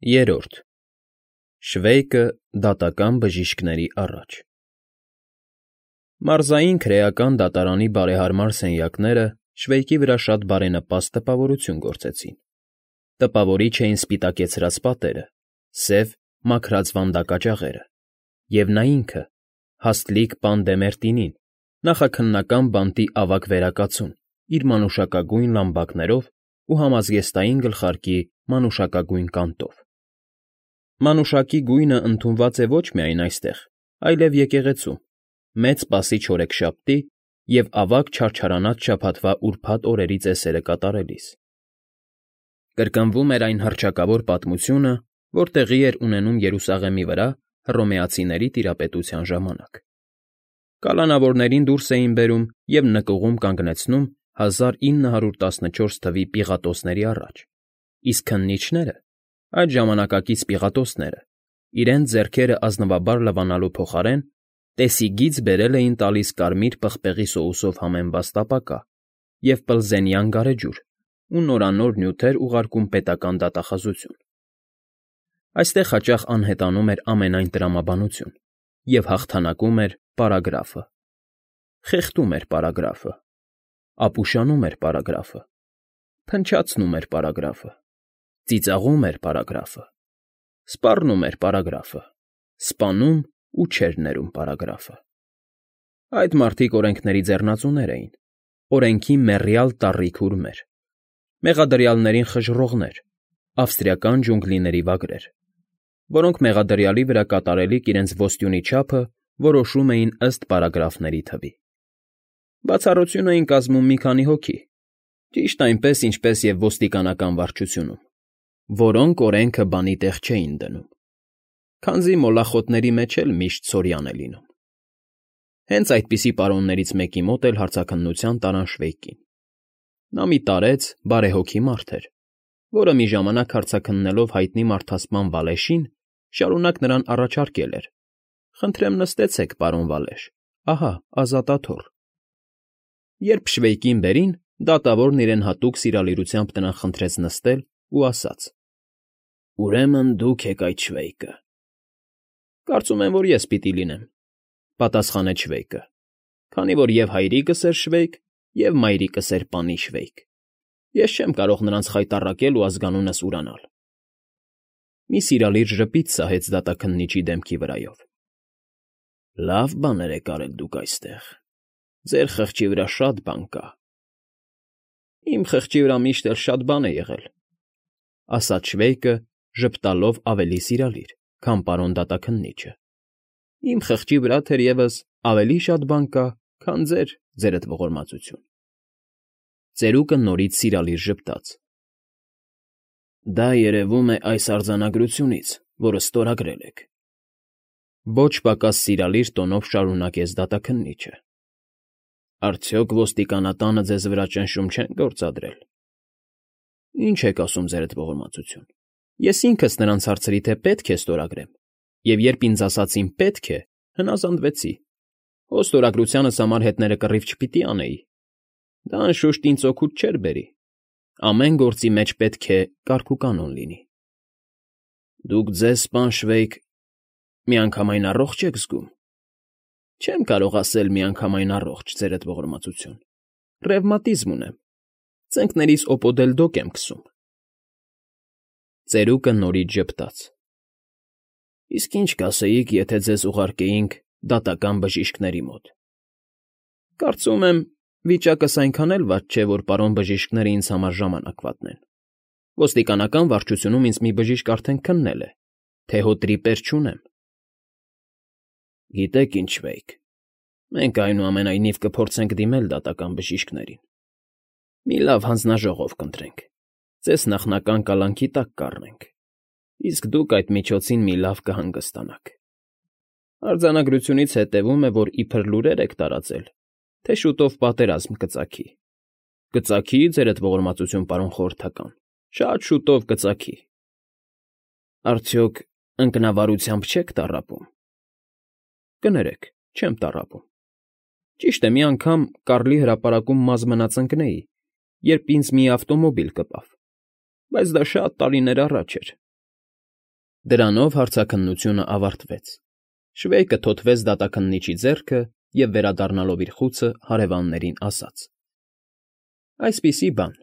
Երրորդ Շվեյկը դատական բժիշկների առաջ Մարզային քրեական դատարանի բարեհարմար սենյակները Շվեյկի վրա շատ բարենպաստ տպավորություն գործեցին. տպավորիչ էին սպիտակեցրած պատերը, սև, մաքրած վանդակաճաղերը, և նա ինքը, հաստլիկ պան Դեմերտինին, նախաքննական բանտի ավագ վերակացուն, իր մանուշակագույն լամբակներով ու համազգեստային գլխարկի մանուշակագույն կանտով։ Մանուշակի գույնը ընդունված է ոչ միայն այստեղ, այլև եկեղեցում, Մեծ Սպասիչ օրեքշաբթի և ավագ չարչարանած շաբաթվա ուրբաթ օրերի ծեսերը կատարելիս։ Կրկնվում էր այն հռչակավոր պատմությունը, որ տեղի էր ունենում Երուսաղեմի վրա հռոմեացիների տիրապետության ժամանակ։ Կալանավորներին դուրս էին բերում և նկուղում կանգնեցնում 1914 թվականի պիղատոսների առաջ, իսկ քննիչները, այդ ժամանակակից պիղատոսները, իրենց ձեռքերը ազնվաբար լվանալու փոխարեն տեսիգից բերել էին տալիս կարմիր պղպեղի սոուսով համեմված տապակա և պլզենյան գարեջուր ու նորանոր նյութեր ուղարկում պետական դատախազություն։ Այստեղ հաճախ անհետանում էր ամենայն տրամաբանություն և հաղթանակում էր պարագրաֆը, խեղդում էր պարագրաֆը, ապուշանում էր պարագրաֆը, փնչացնում էր պարագրաֆը, ծիծաղում էր պարագրաֆը, սպառնում էր պարագրաֆը, սպանում ու չէր ներում պարագրաֆը։ Այդ մարդիկ օրենքների ձեռնածուներ էին, օրենքի մեռյալ տառի քուրմեր, մեղադրյալներին խժռողներ, ավստրիական ջունգլիների վագրեր, որոնք մեղադրյալի վրա կատարելիք իրենց ոստյունի չափը որոշում էին ըստ պարագրաֆների թվի։ Բացառություն էին կազմում մի քանի հոգի, ճիշտ այնպես, ինչպես և ոստիկանական վարչությունում, որոնք օրենքը բանի տեղ չէին դնում, քանզի մոլախոտների մեջ էլ միշտ սորյան է լինում։ Հենց այդպիսի պարոններից մեկի մոտ էլ հարցաքննության տարան Շվեյկին։ Նա մի տարեց, բարեհոգի մարդ էր, որը մի ժամանակ հարցաքննելով հայտնի մարդասպան Վալեշին, շարունակ նրան առաջարկել էր. «Խնդրեմ նստեցեք, պարոն Վալեշ, ահա ազատաթոռ»։ Երբ Շվեյկին բերին, դատավորն իրեն հատուկ սիրալիրությամբ նրան խնդրեց նստել ու ասաց. «Ուրեմն դուք եք այդ Շվեյկը»։ «Կարծում եմ, որ ես պիտի լինեմ», պատասխանեց Շվեյկը, քանի որ և հայրիկս էր Շվեյկ, և մայրիկս էր պանի Շվեյկ։ Ես չեմ կարող նրանց խայտառակել ու ազգանունս ուրանալ։ Մի սիրալիր ժպիտ սահեց դատաքննիչի դեմքի վրայով։ «Լավ բաներ եք արել դուք այստեղ, ձեր խղճի վրա շատ բան կա»։ «Իմ խղճի վրա միշտ էլ շատ բան է եղել», ասաց Շվեյկը, ժպտալով ավելի սիրալիր, քան պարոն դատաքննիչը։ «Իմ խղճի վրա, թերևս, ավելի շատ բան կա, քան ձերդ ողորմածություն»։ Ծերուկը նորից սիրալիր ժպտաց։ «Դա երևում է այս արձանագրությունից, որը ստորագրել եք», ոչ պակաս սիրալիր տոնով շարունակեց դատաքննիչը։ «Արդյոք ոստիկանատանը ձեզ վրա ճնշում չեն գործադրել»։ «Ինչ եք ասում, ձերդ ողորմածություն, ես ինքս նրանց հարցրի, թե պետք է ստորագրեմ, և երբ ինձ ասացին պետք է, հնազանդվեցի։ Հո ստորագրությանս համար հետները կռիվ չպիտի անեի։ Դա, անշուշտ, ինձ օգուտ չէր բերի։ Ամեն գործի մեջ պետք է կարգուկանոն լինի»։ «Դուք ձեզ, պան Շվեյկ, միանգամայն առողջ եք զգում»։ «Չեմ կարող ասել միանգամայն առողջ, ձերդ ողորմածություն, ռևմատիզմ ունեմ, ծնկներիս օպոդելդոկ եմ քսում»։ Ծերուկը նորից ժպտաց։ «Իսկ ինչ կասեիք, եթե ձեզ ուղարկեինք դատական բժիշկների մոտ»։ «Կարծում եմ, վիճակս այնքան էլ վատ չէ, որ պարոն բժիշկները ինձ համար ժամանակ վատնեն։ Ոստիկանական վարչությունում ինձ մի բժիշկ արդեն քննել է, թե հո տրիպեր չունեմ»։ «Գիտեք ինչ, Շվեյկ, մենք այնուամենայնիվ կփորձենք դիմել դատական բժիշկներին։ Մի լավ հանձնաժողով կընտրենք, ձեզ նախնական կալանքի տակ կառնենք, իսկ դուք այդ միջոցին մի լավ կհանգստանաք։ Արձանագրությունից հետևում է, որ իբր լուրեր եք տարածել, թե շուտով պատերազմ կծագի։ Կծագի, ձերդ ողորմածություն, պարոն խորհրդական, շատ շուտով կծագի։ Արդյոք ընկնավարությամբ չեք տառապում։ Կներեք, չեմ տառապում։ Ճիշտ է, մի անգամ Կարլի հրապարակում մազ մնաց ընկնեի, երբ ինձ մի ավտոմոբիլ կպավ, բայց դա շատ տարիներ առաջ էր։ Դրանով հարցաքննությունը ավարտվեց։ Շվեյկը թոթվեց դատաքննիչի ձեռքը և վերադառնալով իր խուցը հարևաններին ասաց. Այսպիսի բան.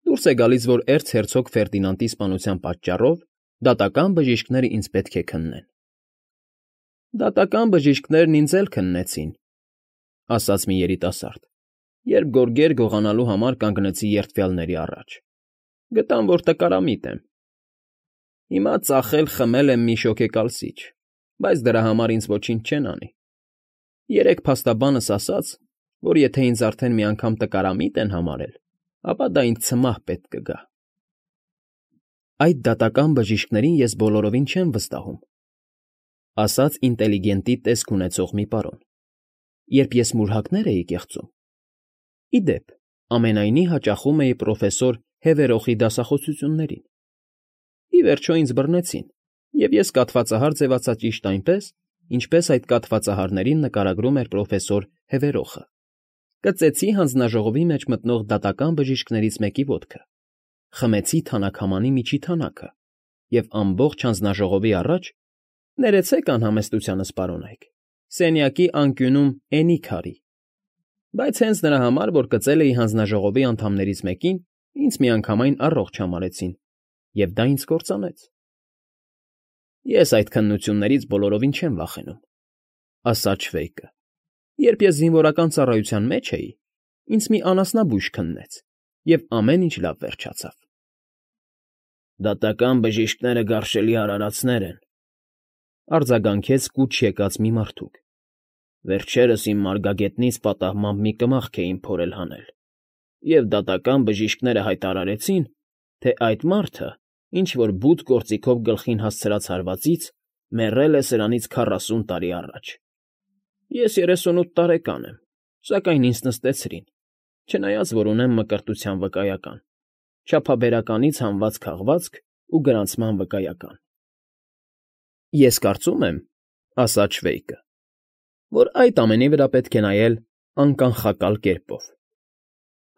դուրս է գալիս, որ էրցհերցոգ Ֆերդինանդի սպանության պատճառով դատական բժիշկները ինձ պետք է քննեն։ Դատական բժիշկներն ինձ էլ քննեցին, ասաց մի երիտասարդ, երբ գորգեր գողանալու համար կանգնեցի երդվյալների առաջ։ Գտան, որ տկարամիտ եմ։ Հիմա ծախել-խմել եմ մի շոգեկալսիչ, բայց դրա համար ինձ ոչինչ չեն անի։ Երեկ փաստաբանս ասաց, որ եթե ինձ արդեն մի անգամ տկարամիտ են համարել, ապա դա ինձ ցմահ պետք կգա։ Այդ դատական բժիշկներին ես բոլորովին չեմ վստահում, ասաց ինտելիգենտի տեսք ունեցող մի պարոն, երբ ես մուրհակներ էի կեղծում։ Ի դեպ, ամենայնի հաճախում էի պրոֆեսոր Հևերոխի դասախոսություններին։ Ի վերջո ինձ բռնեցին, և ես կաթվածահար ձևացա ճիշտ այնպես, ինչպես այդ կաթվածահարներին նկարագրում էր պրոֆեսոր Հևերոխը։ Կծեցի հանձնաժողովի մեջ մտնող դատական բժիշկներից մեկի ոտքը, խմեցի թանաքամանի միջի թանակը և ամբողջ հանձնաժողովի առաջ, ներեցեք անհամեստությանս պարոնայք, սենյակի անկյունում էնիկ արի, բայց հենց նրա համար, որ կծել էի հանձնաժողովի անդամներից մեկին, ինձ միանգամայն առողջ համարեցին, և դա ինձ կործանեց։ Ես այդ քննություններից բոլորովին չեմ վախենում, ասաց Շվեյկը։ Երբ ես զինվորական ծառայության մեջ էի, ինձ մի անասնաբույժ քննեց, և ամեն ինչ լավ վերջացավ։ Դատական բժիշկները գարշելի արարածներ են, արձագանքեց կուչ եկած մի մարդուկ։ Վերջերս իմ մարգագետնից պատահմամբ մի կմախք էին փորել հանել, և դատական բժիշկները հայտարարեցին, թե այդ մարդը, ինչ-որ բութ գործիքով գլխին հասցրած հարվածից, մեռել է սրանից 40 տարի առաջ։ Ես 38 տարեկան եմ, սակայն ինձ նստեցրին, չնայած որ ունեմ մկրտության վկայական, չափաբերականից հանված քաղվածք ու գրանցման վկայական։ Ես կարծում եմ, ասաց Շվեյկը, որ այդ ամենի վրա պետք է նայել անկանխակալ կերպով։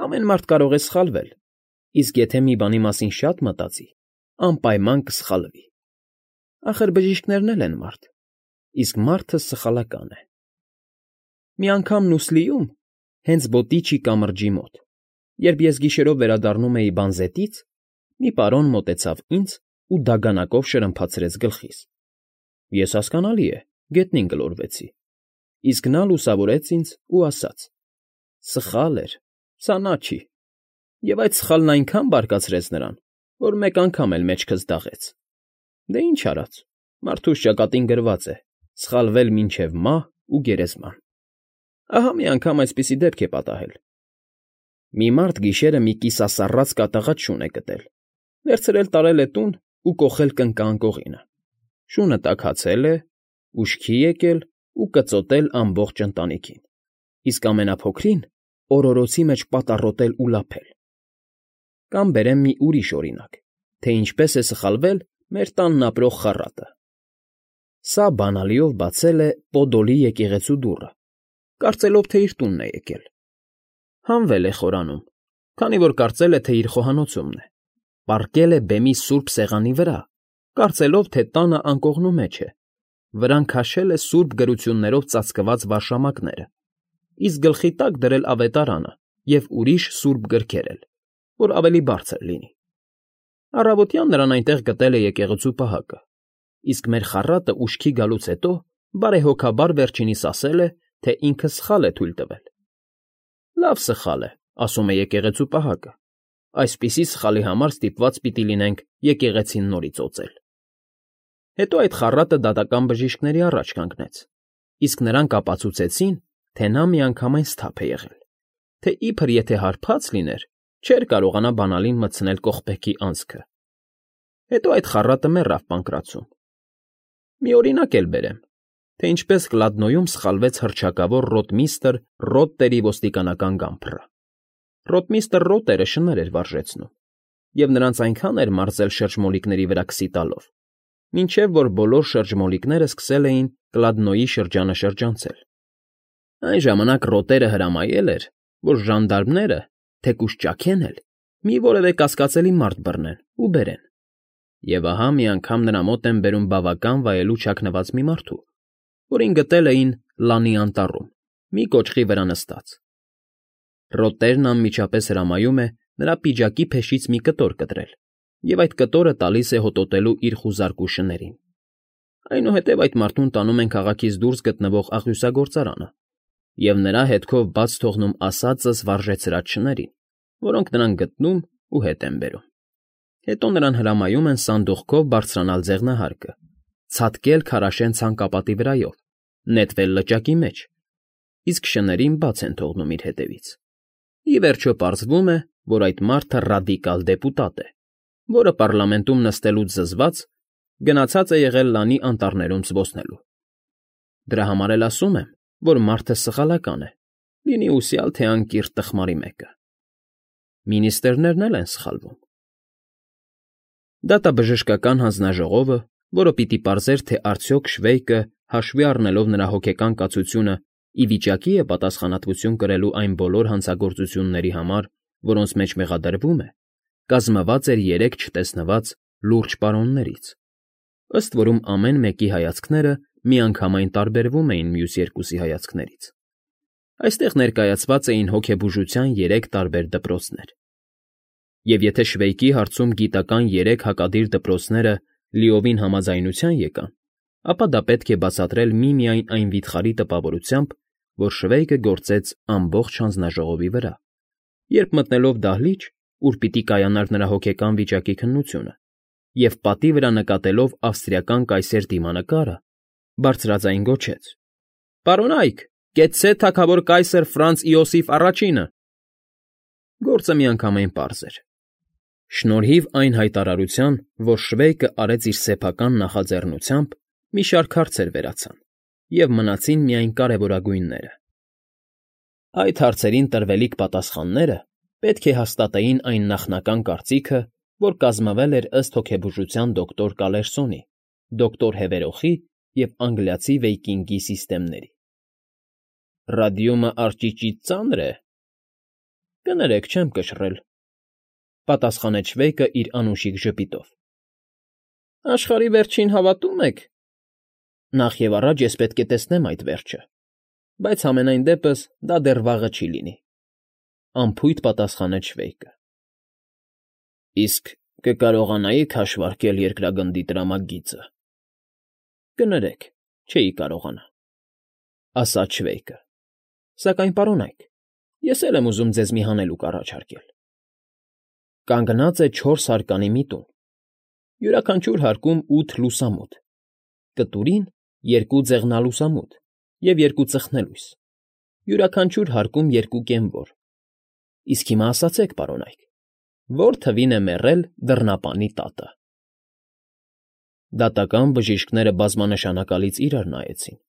Ամեն մարդ կարող է սխալվել, իսկ եթե մի բանի մասին շատ մտածի, անպայման կսխալվի։ Ախր բժիշկներն էլ են մարդ, իսկ մարդը սխալական է։ Մի անգամ Նուսլիում, հենց Բոտիչի կամրջի մոտ, երբ ես գիշերով վերադառնում էի բանզետից, մի պարոն մոտեցավ ինձ ու դագանակով շրմփացրեց գլխիս։ Ես, հասկանալի է, գետնին գլորվեցի, իսկ նա լուսավորեց ինձ ու ասաց. սխալ էր, սա նա չի։ Եվ այդ սխալն այնքան բարկացրեց նրան, որ մեկ անգամ էլ մեջքս դաղեց։ Դե ինչ արած, մարդուս ճակատին գրված է. սխալվել մինչև մահ ու գերեզման։ Ահա մի անգամ այսպիսի դեպք է պատահել։ Մի մարդ գիշերը մի կիսասառած կատաղած շուն է գտել, վերցրել տարել է տուն ու կոխել կնկա-անկողինը։ Շունը տաքացել է, ուշքի եկել ու կծոտել ամբողջ ընտանիքին, իսկ ամենափոքրին օրորոցի մեջ պատառոտել ու լափել։ Կամ բերեմ մի ուրիշ օրինակ, թե ինչպես է սխալվել մեր տանն ապրող խառատը։ Սա բանալիով բացել է Պոդոլի եկեղեցու դուռը, կարծելով, թե իր տունն է եկել։ Հանվել է խորանում, քանի որ կարծել է, թե իր խոհանոցումն է։ Պառկել է բեմի սուրբ սեղանի վրա, կարծելով, թե տանը անկողնու մեջ է, վրան քաշել է սուրբ գրություններով ծածկված վարշամակները, իսկ գլխի տակ դրել ավետարանը և ուրիշ սուրբ գրքեր էլ, որ ավելի բարձր լինի։ Առավոտյան նրան այնտեղ գտել է եկեղեցու պահակը, իսկ մեր խառատը ուշքի գալուց հետո բարեհոգաբար վերջինիս ասել է, թե ինքը սխալ է թույլ տվել։ Լավ սխալ է, ասում է եկեղեցու պահակը, այսպիսի սխալի համար ստիպված պիտի լինենք եկեղեցին նորից օծել։ Հետո այդ խառատը դատական բժիշկների առաջ կանգնեց, իսկ նրանք ապացուցեցին, թե նա միանգամայն սթափ է եղել, թե իբր եթե հարբած լիներ, չէր կարողանա բանալին մտցնել կողպեքի անցքը։ Հետո այդ խառատը մեռավ Պանկրատցում։ Մի օրինակ էլ բերեմ, թե ինչպես Կլադնոյում սխալվեց հռչակավոր ռոտմիստր Ռոտտերի ոստիկանական գամփռը։ Ռոտմիստր Ռոտերը շներ էր վարժեցնում, և նրանց այնքան էր մարզել շրջմոլիկների վրա քսի տալով, մինչև որ բոլոր շրջմոլիկները սկսել էին Կլադնոյի շրջանը շրջանցել։ Այն ժամանակ Ռոտերը հրամայել էր, որ ժանդարմները, թեկուզ ճաքեն էլ, մի որևէ կասկածելի մարդ բռնեն ու բերեն։ Եվ ահա մի անգամ նրա մոտ են բերում բավական վայելուչ հագնված մի մարդու, որին գտել էին լանի անտառում, մի կոճղի վրա նստած։ Ռոտերն անմիջապես հրամայում է նրա պիջակի փեշից մի կտոր կտրել և այդ կտորը տալիս է հոտոտելու իր խուզարկու շներին։ Այնուհետև այդ մարդուն տանում են քաղաքից դուրս գտնվող աղյուսագործարանը և նրա հետքով բաց թողնում ասածս վարժեցրած շներին, որոնք նրան գտնում ու հետ են բերում։ Հետո նրան հրամայում են սանդուղքով բարձրանալ ձեղնահարկը, ցատկել քարաշեն ցանկապատի վրայով, նետվել լճակի մեջ, իսկ շներին բաց են թողնում իր հետևից։ Ի վերջո պարզվում է, որ այդ մարդը ռադիկալ դեպուտատ է, որը պառլամենտում նստելուց զզված գնացած է եղել լանի անտառներում զբոսնելու։ Դրա համար էլ ասում եմ, որ մարդը սխալական է, լինի ուսյալ թե անկիրթ տխմարի մեկը։ Մինիստրներն էլ են սխալվում։ Դատաբժշկական հանձնաժողովը, որը պիտի պարզեր, թե արդյոք Շվեյկը, հաշվի առնելով նրա հոգեկան կացությունը, ի վիճակի է պատասխանատվություն կրելու այն բոլոր հանցագործությունների համար, որոնց մեջ մեղադրվում է, կազմված էր 3 չտեսնված լուրջ պարոններից, ըստ որում ամեն մեկի հայացքները միանգամայն տարբերվում էին մյուս երկուսի հայացքներից։ Այստեղ ներկայացված էին հոգեբուժության 3 տարբեր դպրոցներ։ Եվ եթե Շվեյկի հարցում գիտական 3 հակադիր դպրոցները լիովին համաձայնության եկան, ապա դա պետք է բացատրել միմիայն այն վիթխարի տպավորությամբ, որ Շվեյկը գործեց ամբողջ հանձնաժողովի վրա, երբ մտնելով դահլիճ, ուր պիտի կայանար նրա հոգեկան վիճակի քննությունը, և պատի վրա նկատելով ավստրիական կայսեր դիմանկարը, բարձրաձայն գոչեց. «Պարոնայք, կեցցե թագավոր կայսր Ֆրանց Իոսիֆ առաջինը»։ Գործը միանգամայն պարզ էր։ Շնորհիվ այն հայտարարության, որ Շվեյկը արեց իր սեփական նախաձեռնությամբ, մի շարք հարցեր վերացան, և մնացին միայն կարևորագույնները։ Այդ հարցերին տրվելիք պատասխանները պետք է հաստատեին այն նախնական կարծիքը, որ կազմվել էր ըստ հոգեբուժության դոկտոր Կալերսոնի, դոկտոր Հևերոխի և անգլիացի Վեյկինգի սիստեմների։ Ռադիումը արճիճից ծանր է։ Կներեք, չեմ կշռել, պատասխանեց Շվեյկը իր անուշիկ ժպիտով։ Աշխարհի վերջին հավատում եք։ Նախ և առաջ ես պետք է տեսնեմ այդ վերջը, բայց համենայն դեպս դա դեռ վաղը չի լինի, անփույթ պատասխանեց Շվեյկը։ Իսկ կկարողանայի՞ք հաշվարկել երկրագնդի տրամագիծը։ Կներեք, չէի կարողանա, ասաց Շվեյկը։ Սակայն, պարոնայք, ես էլ եմ ուզում ձեզ մի հանելուկ առաջարկել։ Կանգնած է 4 հարկանի մի տուն, յուրաքանչյուր հարկում 8 լուսամուտ, կտուրին 2 ձեղնալուսամուտ և 2 ծխնելույս, յուրաքանչյուր հարկում 2 կենվոր։ Իսկ հիմա ասացեք, պարոնայք, որ թվին է մեռել դռնապանի տատը։ Դատական բժիշկները բազմանշանակալից իրար նայեցին։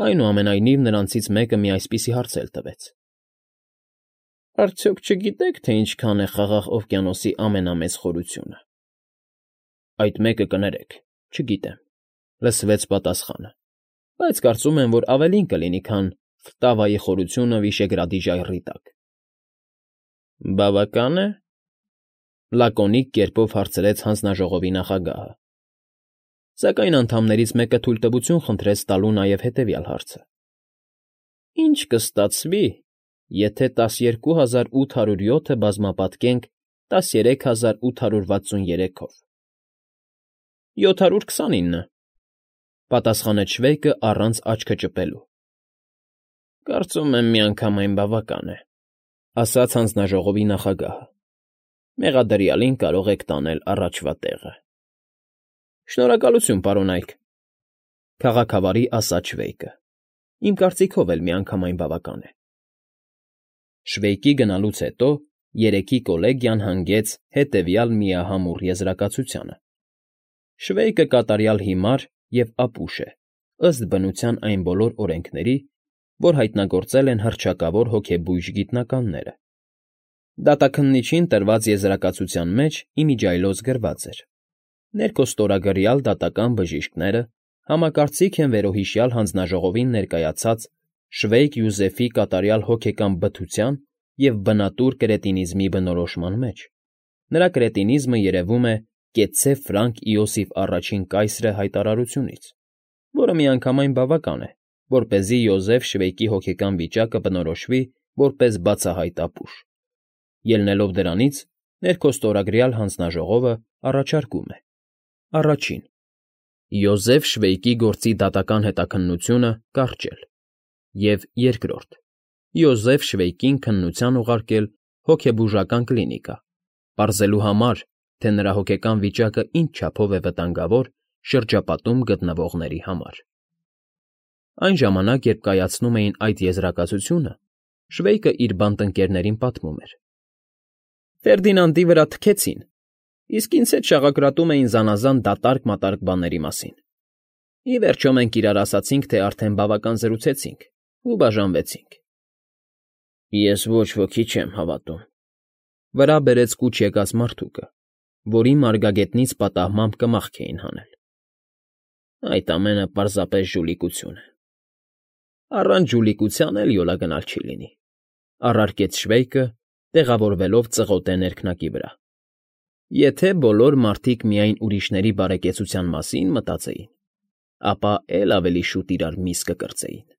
Այնուամենայնիվ նրանցից մեկը մի այսպիսի հարց էլ տվեց. Արդյոք չգիտեք, թե ինչքան է Խաղաղ օվկիանոսի ամենամեծ խորությունը։ Այդ մեկը կներեք, չգիտեմ, լսվեց պատասխանը, բայց կարծում եմ, որ ավելին կլինի, քան Ֆտավայի խորությունը Վիշեգրադի ժայռի տակ։ Բավական է, լակոնիկ կերպով հարցրեց հանձնաժողովի նախագահը։ Սակայն անդամներից մեկը թույլտվություն խնդրեց տալու նաև հետևյալ հարցը. Ինչ կստացվի, եթե 12807-ը բազմապատկենք 13863-ով։ 729, պատասխանեց Շվեյկը առանց աչքը ճպելու։ Կարծում եմ միանգամայն բավական է, ասաց հանձնաժողովի նախագահը։ Մեղադրյալին կարող եք տանել առաջվա տեղը։ Շնորհակալություն, պարոնայք, քաղաքավարի ասաց Շվեյկը։ Իմ կարծիքով էլ միանգամայն բավական է։ Շվեյկի գնալուց հետո երեքի կոլեգիան հանգեց հետևյալ միահամուռ եզրակացությանը. Շվեյկը կատարյալ հիմար և ապուշ է, ըստ բնության այն բոլոր օրենքների, որ հայտնագործել են հռչակավոր հոգեբույժ գիտնականները։ Դատաքննիչին տրված եզրակացության մեջ իմիջիայլոց գրված էր. Ներքո ստորագրյալ դատական բժիշկները համակարծիք են վերոհիշյալ հանձնաժողովին ներկայացած Շվեյկ Յուզեֆի կատարյալ հոգեկան բթության և բնատուր կրետինիզմի բնորոշման մեջ։ Նրա կրետինիզմը, երևում է, կեցցե Ֆրանկ Իոսիֆ առաջին կայսրը հայտարարությունից, որը միանգամայն բավական է, որպեսզի Յոզեֆ Շվեյկի հոգեկան վիճակը բնորոշվի որպես բացահայտ ապուշ։ Ելնելով դրանից, ներքոստորագրյալ հանձնաժողովը առաջարկում է. Առաջին. Յոզեֆ Շվեյկի գործի դատական հետաքննությունը կարճել, և երկրորդ. Յոզեֆ Շվեյկին քննության ուղարկել հոգեբուժական կլինիկա, պարզելու համար, թե նրա հոգեկան վիճակը ինչ չափով է վտանգավոր շրջապատում գտնվողների համար։ Այն ժամանակ, երբ կայացնում էին այդ եզրակացությունը, Շվեյկը իր բանտընկերներին պատմում էր. Ֆերդինանդի վրա թքեցին, իսկ ինձ հետ շաղակրատում էին զանազան դատարկ֊մատարկ բաների մասին։ Ի վերջո մենք իրար ասացինք, թե արդեն բավական զրուցեցինք ու բաժանվեցինք։ Ես ոչ ոքի չեմ հավատում, վրա բերեց կուչ եկած մարդուկը, որի մարգագետնից պատահմամբ կմախք էին հանել։ Այդ ամենը պարզապես ժուլիկություն է։ Առանց ժուլիկության էլ յոլա գնալ չի լինի, առարկեց Շվեյկը, տեղավորվելով ծղոտե ներքնակի վրա։ Եթե բոլոր մարդիկ միայն ուրիշների բարեկեցության մասին մտածեին, ապա էլ ավելի շուտ իրար միս կկրծեին։